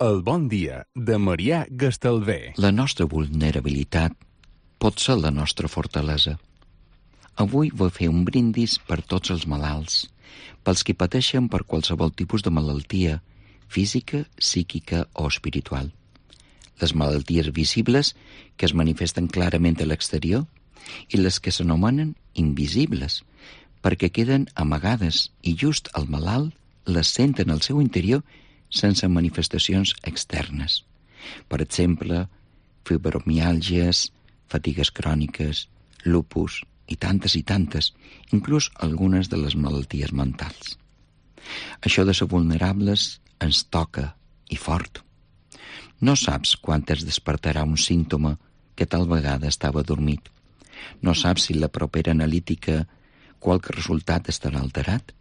El bon dia de Marià Gastalver. La nostra vulnerabilitat pot ser la nostra fortalesa. Avui vull fer un brindis per tots els malalts, pels que pateixen per qualsevol tipus de malaltia, física, psíquica o espiritual. Les malalties visibles, que es manifesten clarament a l'exterior, i les que s'anomenen invisibles, perquè queden amagades i just el malalt les senten al seu interior sense manifestacions externes. Per exemple, fibromiàlgies, fatigues cròniques, lupus i tantes, inclús algunes de les malalties mentals. Això de ser vulnerables ens toca, i fort. No saps quan es despertarà un símptoma que tal vegada estava dormit. No saps si la propera analítica qualque resultat estarà alterat.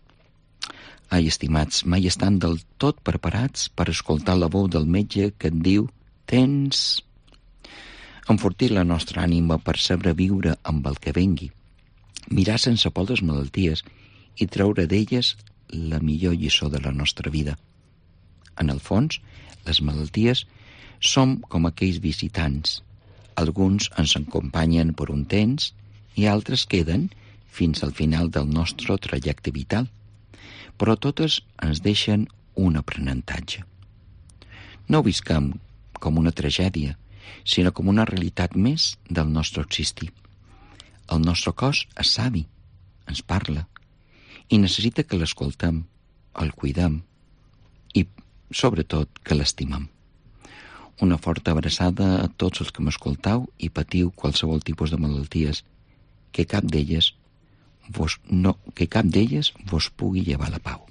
Ai, estimats, mai estan del tot preparats per escoltar la veu del metge que et diu «Tens...». Enfortir la nostra ànima per saber viure amb el que vengui, mirar sense por les malalties i treure d'elles la millor lliçó de la nostra vida. En el fons, les malalties som com aquells visitants. Alguns ens acompanyen per un temps i altres queden fins al final del nostre trajecte vital. Però totes ens deixen un aprenentatge. No ho visquem com una tragèdia, sinó com una realitat més del nostre existir. El nostre cos és savi, ens parla, i necessita que l'escoltem, el cuidem i, sobretot, que l'estimem. Una forta abraçada a tots els que m'escoltau i patiu qualsevol tipus de malalties, que cap d'elles vos pugui llevar la pau.